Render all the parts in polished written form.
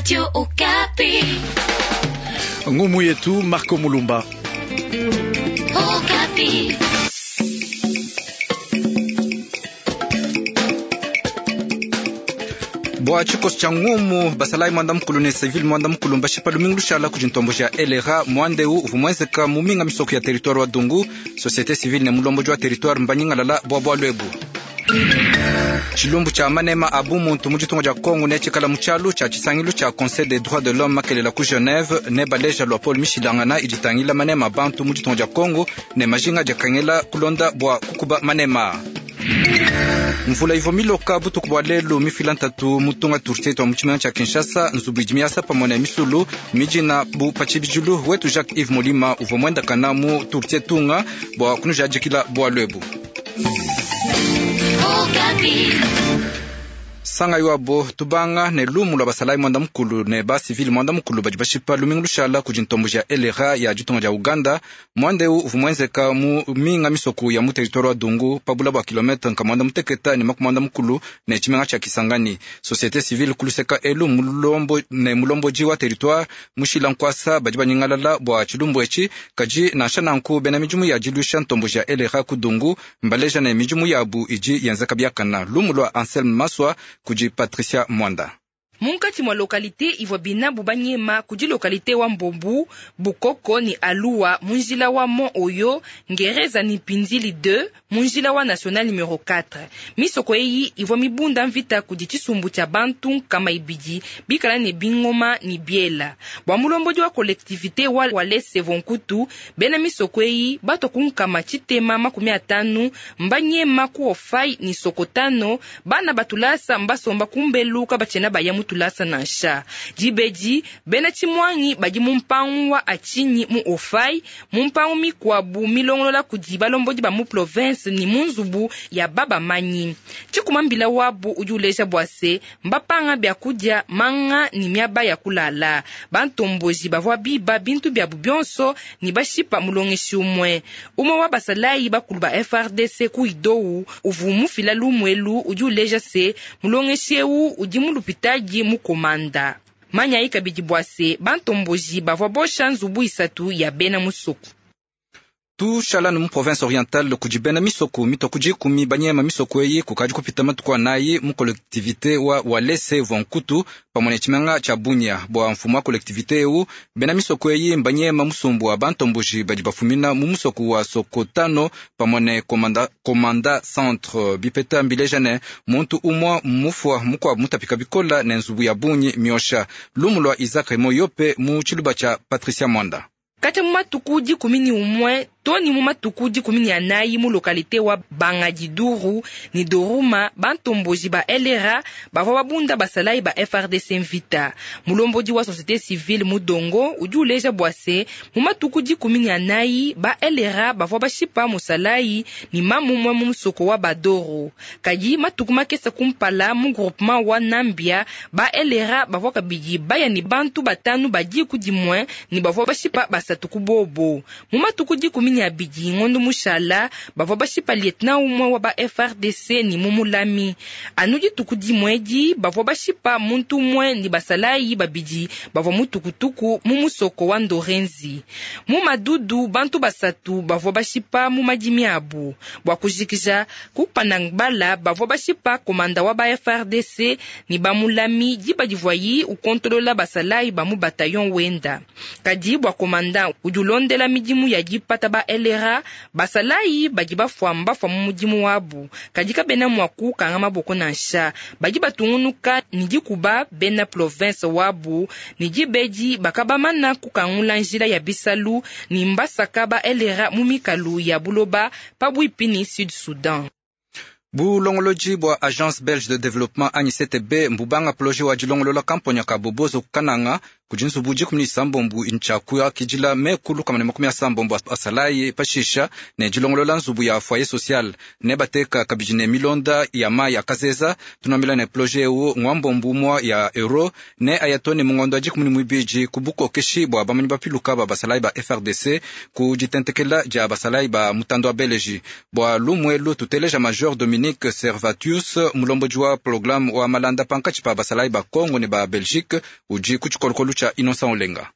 Radio Okapi. Ngumu yetu Marco Mulumba. Okapi. Bua tshikoso tshia ngumu basalayi mwanda mukulu ne civil mwanda mukulu mbashipa lumingu lushala kudi ntombo ja LRA mwanda eu uvua muenzeka mu minga misoko ya territoire wa Dungu. Société civile ne mulombodi wa territoire mbanyingalala bua bualu ebu. Tshilumbu tshia manema a bumuntu mu ditunga dia Kongo ne tshikala mu tshialu tshia tshisangilu tshia Conseil des droits de l'homme makelela ku Genève ne baleja lua Paul mishilangana idi itangila manema a bantu mu ditunga dia Kongo ne majinga adi akengela kulonda bua kukuba manema. Mvula ivua miloka butuku bua lelu mifila ntatu mu tunga turtie tua mu tshimenga tshia Kinshasa. Nzubu idi miasa pamue ne misulu midina bu pa tshibidilu. Wetu Jacques Yves Molima uvua muendakana mu turtie tunga bua kunujadikila bualu ebu. Sanga yuabo tubanga ne lumu lua basalayi mwanda mukulu ne ba civil mwanda mukulu badi bashipa lumingu lushala kudi ntombo ja LRA ya ditunga dia Uganda. Mwanda eu uvua muenzeka mu minga misoko ya mu territoire wa Dungu pa bula bua kilometre nka mwanda muteketa ne makumi mwanda mukulu ne tshimenga tshia Kisangani. Société civile kuluseka elu mulombo ne mulombodi wa territoire mushila nkwasa badi banyingalala bua tshilumbu etshi. Kadi nansha nanku bena midimu ya diluisha ntombo ja LRA ku Dungu mbaleja ne midimu yabu idi yenzeka biakana. Lumu lua Anselme Maswa kudi Patricia Mwanda. Munkatshi mua localité ivua binabu banyema kudi localité wa Mbombu, Bukoko ni Alua mu njila wa Mont Oyo, Ngereza ni Pindili 2 mu njila wa National numero 4. Misoko eyi ivua mibunda mvita kudi tshisumbu tshia bantu nkama ibidi bikala ne bingoma ni biela. Bua mulombodi wa collectivité wa Walese Vonkutu, bena misoko eyi bato ku nkama tshitema 50 mbanyema ku Ofai ni Sokotano, bana batulasa mbasomba kumbelu kabatshiena baya mu tulasa nansha. Dibedi bena tshimwangi badi mu mpangu wa Achinyi mu Ofai, mu mpangu mikwabu milongolola kudi balombodi ba mu province ni mu nzubu ya baba manyi. Tshikuma mbila wabu udi uleja bua se mbapanga bia kudia manga ni miaba ya kulala. Bantomboji bavua biba bintu biabu bionso ni bashipa mulongeshi umwe. Umwe wa basalayi bakulu ba FARDC ku Idou uvu mufila lumwelu udi uleja se mulongeshi eu udi mu lupitadi mu komanda. Manyayi kabidi bua se bantomboji bavua bosha nzubu isatu ya bena musoko. Tushala mu province orientale kudi bena misoko mitwa kudi kumi banyema misoko eyi kukadi kupita matuku anayi mu collectivité wa Walese Vonkutu pamue ne tshimenga tshia Bunia. Bua mfumu wa collectivité eu bena misoko eyi mbanyema musumbu wa bantomboji badi bafumina mu musoko wa Sokotano pamue ne komanda, komanda centre. Bipeta mbileja ne muntu umua mufua mukuabu mutapika bikola ne nzubu ya bungi miosha. Lumu lua Isaac Moyope mu tshiluba tshia Patricia Mwanda. Katshia mu matuku 11 to ni mu matuku 14 mu localité wa Bangadiduru ni Doruma, bantomboji ba LRA bavua babunda basalayi ba FARDC mvita. Mulombodi wa société civile Mudongo udi uleja bua se mu matuku 14 ba LRA bavua bashipa musalayi ni mamumue mu musoko wa Badoro. Kadi matuku makesa kumpala mu groupement wa Nambia ba LRA bavua kabidi baya ni bantu batanu badi ku dimue ni bavua bashipa basatu ku bobo. Mu matuku 12 ngondo mushala bavua bashipa lieutenant umue wa ba FARDC ni mumulami. Anu dituku dimue bavua bashipa muntu umue ni basalayi babidi bavua mutukutuku mu musoko wa Ndorenzi. Mu madudu bantu basatu bavua bashipa mu madimi abu. Bua kujikija ku Panangbala bavua bashipa komanda wa ba FARDC ni bamulami diba divuayi ukontolola basalayi ba mu bataillon wenda. Kadi bua komanda udi ulondela midimu ya dipata ba LRA basalayi badi bafua mbafua mu mudimu wabu. Kadi kabena mua kukanga maboko nansha. Badi batungunuka ni dikuba bena province wabu ni dibedi bakabamana kukangula njila ya bisalu ni mbasaka ba LRA mu mikalu ya buloba pabuipi ni Sud Sudan. Bulongolodi bua Agence Belge de Développement anyi CTB mbubanga projet wa dilongolola kamponya ka Bobozo kananga. Kudi nzubu 16 ntshia kuakidila meku 160 asalayi pashisha ne dilongolola nzubu ya foyer social ne bateka kabidi ne milonda ya mayi ya kazeza. Tunambila ne projet eu ngwambombu mwa ya euro ne ayatone mungondo wa 12 ku bukokeshi bwa bamanyi bapiluka ba basalayi ba FRDC ku ditentekela dia basalayi ba mutando wa Beleji. Bwa lumwelu tuteleja Major Dominique Servatius mulombodi wa programme wa malanda pankatshi pa basalayi ba Congo ne ba Belgique udi ku tshikolokolo tshia Innocent Olenga.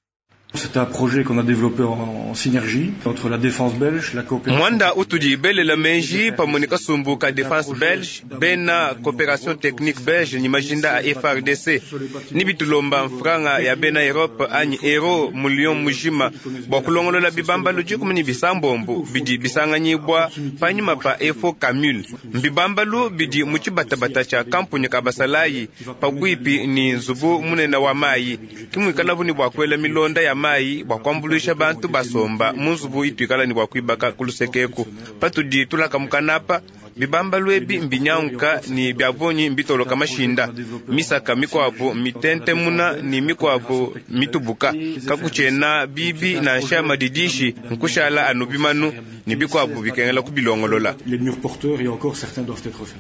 C'est un projet qu'on a développé en synergie entre la défense belge, la coopération. Mwanda utudi belela menji pamwe kasumbu ka défense belge bena coopération technique belge ni majinda a FRDC ni bitulomba mfranga ya bena Europe anyi euro million mujima bwa kulongolola bibambalo 16 bidi bisanganyibwa panyima pa efo kamul mbibambalu bidi mu tshibatabata tsha kampuni ka basalayi pabwipi ni nzubu munene wa mayi kimwikalabu ni bwa kwela milonda ya mayi bwa kuambuluisha bantu basomba mu nzubu ituikala ni bwa kuibaka kulusekeku patudi tulaka mukanapa bibambalu ebi mbinyanguka ni byavonyi mbitoloka mashinda misaka mikwabu mitentemuna ni mikwabu mitubuka kakuchena bibi nansha madidishi nkushala anu bimanu ni bikwabu bikengela kubilongolola. Les murs porteurs et encore certains doivent être faits.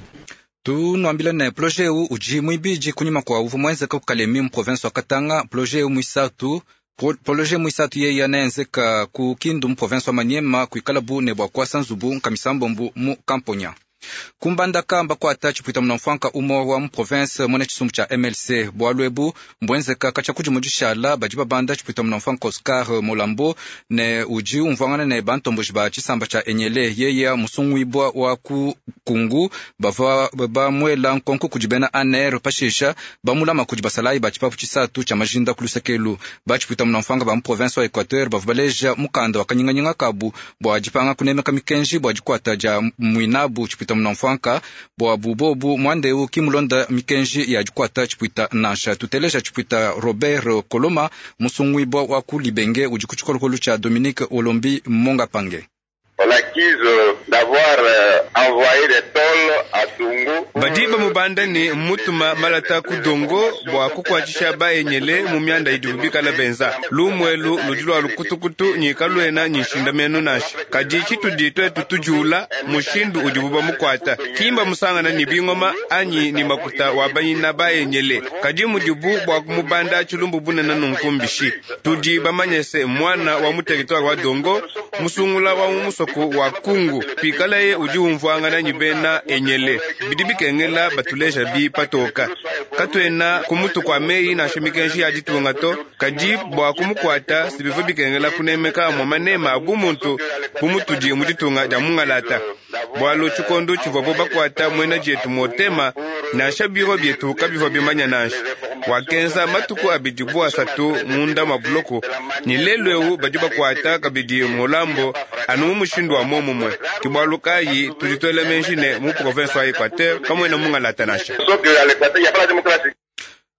Tunwambila ne projet eu udi mwibidi kunyima kwa uvu mwenzeka kukalemi mu province wa Katanga. Projet eu mwisatu Projet mwisatu yeya naenzeka ku Kindu mu province wa Maniema kuikala bu ne bwa kuasa nzubu nkamisambombu mu Kamponya. Kumbandaka mbakwata tshipwita munamfwanka umo wa mu province mwene tshisumbu tsha MLC bwalu ebu mbwenzeka katshia kudi mudishala badi babanda tshipwita munamfwanka Oscar Molambo ne udi umvwangana ne bantomboji ba tshisamba tsha Enyele yeya musungwibwa wa ku Kungu bava bamwela nkonko kudi bena ANR pashisha bamulama kudi basalayi ba tshipapu tshisatu tsha majinda kulusekelu. Ba tshipwita munamfwanka ba mu province wa Equateur bava baleja mukanda wa kanyinganyinga kabu bwa dipanga kunemeka mikenji bwa dikwata dia mwinabu tshipwita munamfwanka bwa bubobu mwandeu kimulonda mikenji ya dikwata tshipwita nansha. Tuteleja tshipwita Robert Koloma musungwibwa wa ku Libenge udi ku tshikolokolo tsha Dominique Olombi Mongapange. Badi bamubanda ne mutuma malata ku dongo bwa kukwathisha baenyele mu myanda idibu bikala benza lumwelu ludi lwa lukutukutu nyika lwena nyinshindamenu nasha kadi tshitudi twetu tujula mushindu udibu bamukwata kimba musangana ni bingoma anyi ni makuta wa bayina baenyele kadi mudibu bwa kumubanda tshilumbu bunene nunkumbishi tudi bamanyese mwana wa mu territoire wa dongo musungula wa mu musoko wa Kungu pikalaye udi umvwangana nyi bena enyele bidi bikengela batuleja bi patoka katwena kumutu kwa meyi nansha mikenji ya ditunga to kadi bwa kumukwata sibiva bikengela kunemeka mwa manema abu muntu bumutudi mu ditunga dia mungalata bwalu tshikondo tshivwabo bakwata mwena dietu motema nansha biro bietu kabivwa bimanya nansha wakenza matuku abidi bu asatu munda mwa buloko ni lelu ewu badi bakwata kabidi mulambo anu mu mushindu wa momumwe kibwalu kayi tudi twela menji ne mu province wa Equateur kamwena mungalata nansha.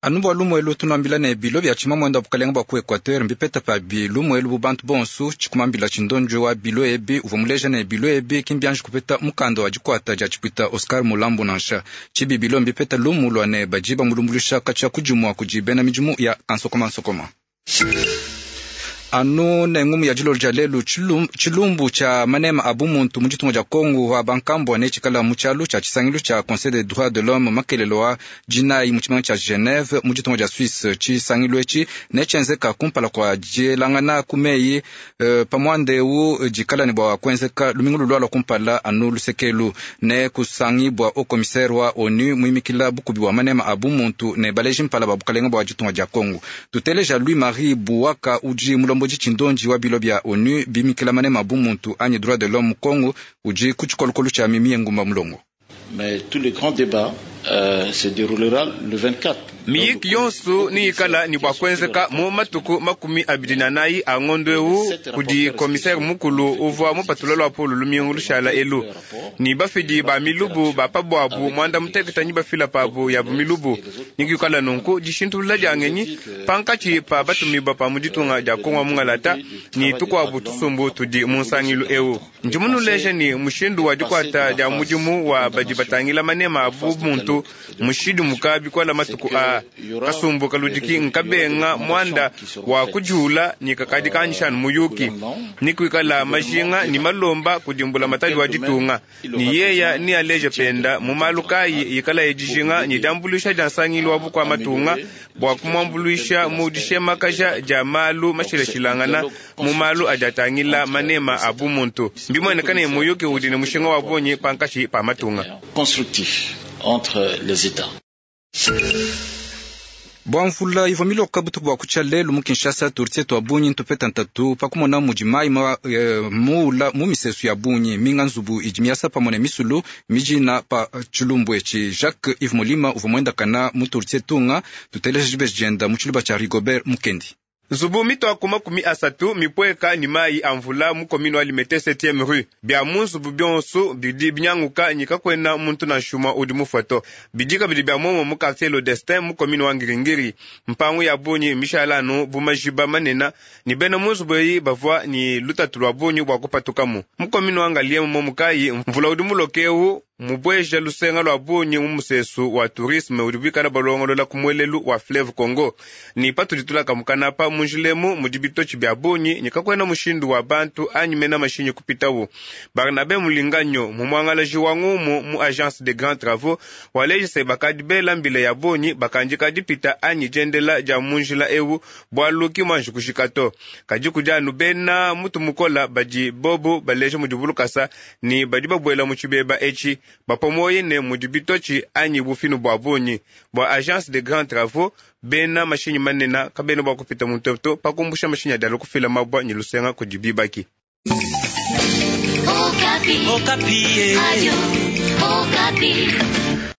Anu bwa lumwelu tunwambila ne bilo bya tshima mwenda wa bukalenga bwa ku Equateur mbipeta pa bi lumwelu bu bantu bonsu tshikumambila tshindonjo wa bilo ebi uvua muleja ne bilo ebi kimbianji kupeta mukanda wa dikwata dia tshipwita Oscar Mulambo nansha tshibi bilo mbipeta lumu lwa ne badi bamulumbuluisha katshia kudimua kudi bena midimu ya kansokoma-nsokoma. Anu ne ngumu ya dilolo dia lelu tshilumbu tsha manema a bumuntu mu ditunga dia Kongo wa bankambua ne tshikala mu tshialu tsha tshisangilu tsha Conseil des droits de l'homme makelelo wa dinayi mu tshimenga tsha Geneve mu ditunga dia Suisse. Tshisangilu etshi ne tshienzeka kumpala kua dielangana ku meyi pamwandeu dikala ne bua kuenzeka lumingu lulua kumpala anu lusekelu ne kusangibua au commissaire wa ONU muimikila bukubi wa manema a bumuntu ne baleji mpala ba bukalenga bua ditunga dia Kongo. Tuteleja Louis Marie Buwaka udi mulombo tshindonji wa bilo bya ONU bimikila manema bumuntu anyi droit de l'homme Congo udi ku tshikolokolo tsha Mimi Ngumba Mulongo. Mais tous les grands débats se déroulera le 24. Miyiki yonsu ni ikala ni bwa kuenzeka mu matuku 24 a ngondo ewu kudi komisere mukulu uvwa mupatula lwa pulu lumingu lushala elu ni bafidi ba milubu ba pabwabu mwanda muteketa ni bafila pabu ya milubu nikikala nunku dishintulula diangenyi pankatshi pa batumiba pa muditunga dia Kongo mungalata ni tukwabu tusumbu tudi mu nsangilu ewu ndimunuleja ni mushindu wa dikwata dia mudimu wa badi batangila manema abu muntu bantu mushidimuka bikola matuku a kasumbu kaludiki nkabenga mwanda wa kujula ni kakadi kanyishanu muyuki ni kuikala majinga ni malomba kudimbula matadi wa ditunga ni yeya ni aleja penda mu malu kayi ikala yedijinga ni dambuluisha dia nsangilu wa bukua matunga bua kumwambuluisha mu dishemakaja dia malu mashilashilangana mu malu adi atangila manema a bumuntu mbimueneka ne muyuki udi ne mushinga wa bungi pankashi pa matunga. Constructif entre les États. Bua mvula ivua miloka butuku bua kutshia lelu mu Kinshasa, turtie tua bungi ntupeta ntatu pa kumona mudi mayi muula mu misesu ya bungi minga nzubu idi miasa pamue ne misulu mijina pa tshilumbu etshi. Jacques Yves Molima uvua muendakana mu turtie tunga tuteleja dibeji dienda mu tshiluba tshia Rigobert Mukendi. Nzubu mitwaku 30 mipweka ni mayi a mvula mu commune wa Limete 7e rue bia mu nzubu bionso bidi binyanguka nyika kwena muntu na nshuma udi mufoto bidi kabidi bia momo mu quartier Le Destin mu commune wa Ngiringiri mpangu ya bungi mishalanu bu majiba manena ni bena mu nzubu eyi bavua ni lutatu lwa bungi bua kupatukamu mu commune wa Ngaliema momu kayi mvula udi mulokewu mubweja lusenga lwa bungi mu musesu wa tourisme udi bikala balongolola ku mwelelu wa fleuve Congo ni patudi tulaka mukanapa munjilemu mudi bitochi bya bungi nyikakwena mushindu wa bantu anyi mena mashinyi kupitawu. Barnabe Mulinganyo mumwangalaji wa ngumu mu agence de grands travaux walejise bakadi bela mbila ya bungi bakanjika dipita anyi jendela ja munjila ewu bwaluki mwanji kushikato kadi kudi anu bena mutu mukola badi bobu baleja mudi bulukasa ni badi babwela mu tshibeba etshi bapamoyi ne mudi bitochi anyi bufinu bwa bungi bwa agence de grands travaux bena mashinyi manena kabena bwa kupita muntoto pakumbusha mashinyi adi alukufila mabwa nyi lusenga kudi bibaki. Okapi. Okapi. Adio. Okapi.